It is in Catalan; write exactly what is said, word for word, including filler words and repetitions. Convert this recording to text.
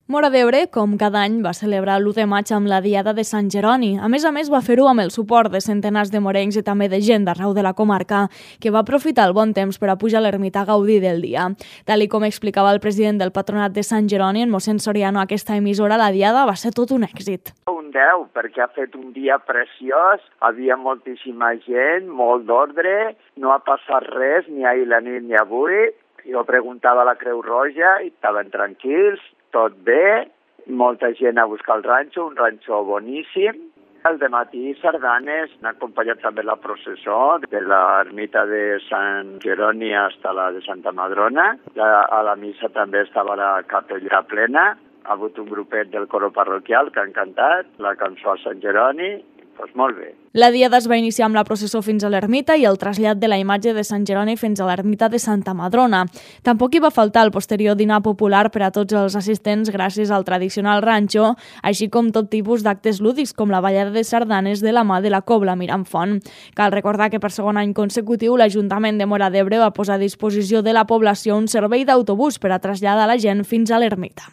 Móra d'Ebre, com cada any, va celebrar l'u de maig amb la Diada de Sant Jeroni. A més a més, va fer-ho amb el suport de centenars de morencs i també de gent d'arreu de la comarca, que va aprofitar el bon temps per a pujar a l'ermita a gaudir del dia. Tal i com explicava el president del Patronat de Sant Jeroni, en mossèn Soriano, aquesta emissora, la Diada va ser tot un èxit. Un deu, perquè ha fet un dia preciós, havia moltíssima gent, molt d'ordre, no ha passat res ni ahir la nit ni avui. Jo preguntava a la Creu Roja i estaven tranquils, tot bé, molta gent a buscar el ranxo, un ranxo boníssim. Al dematí sardanes, han acompanyat també la processó de l'ermita de Sant Jeroni fins a la de Santa Madrona. A la missa també estava la capella plena. Ha hagut un grupet del coro parroquial que han cantat la cançó a Sant Jeroni. Doncs molt bé. La Diada es va iniciar amb la processó fins a l'ermita i el trasllat de la imatge de Sant Jeroni fins a l'ermita de Santa Madrona. Tampoc hi va faltar el posterior dinar popular per a tots els assistents gràcies al tradicional ranxo, així com tot tipus d'actes lúdics com la ballada de sardanes de la mà de la Cobla Mirambfont. Cal recordar que per segon any consecutiu l'Ajuntament de Móra d'Ebre va posar a disposició de la població un servei d'autobús per a traslladar la gent fins a l'ermita.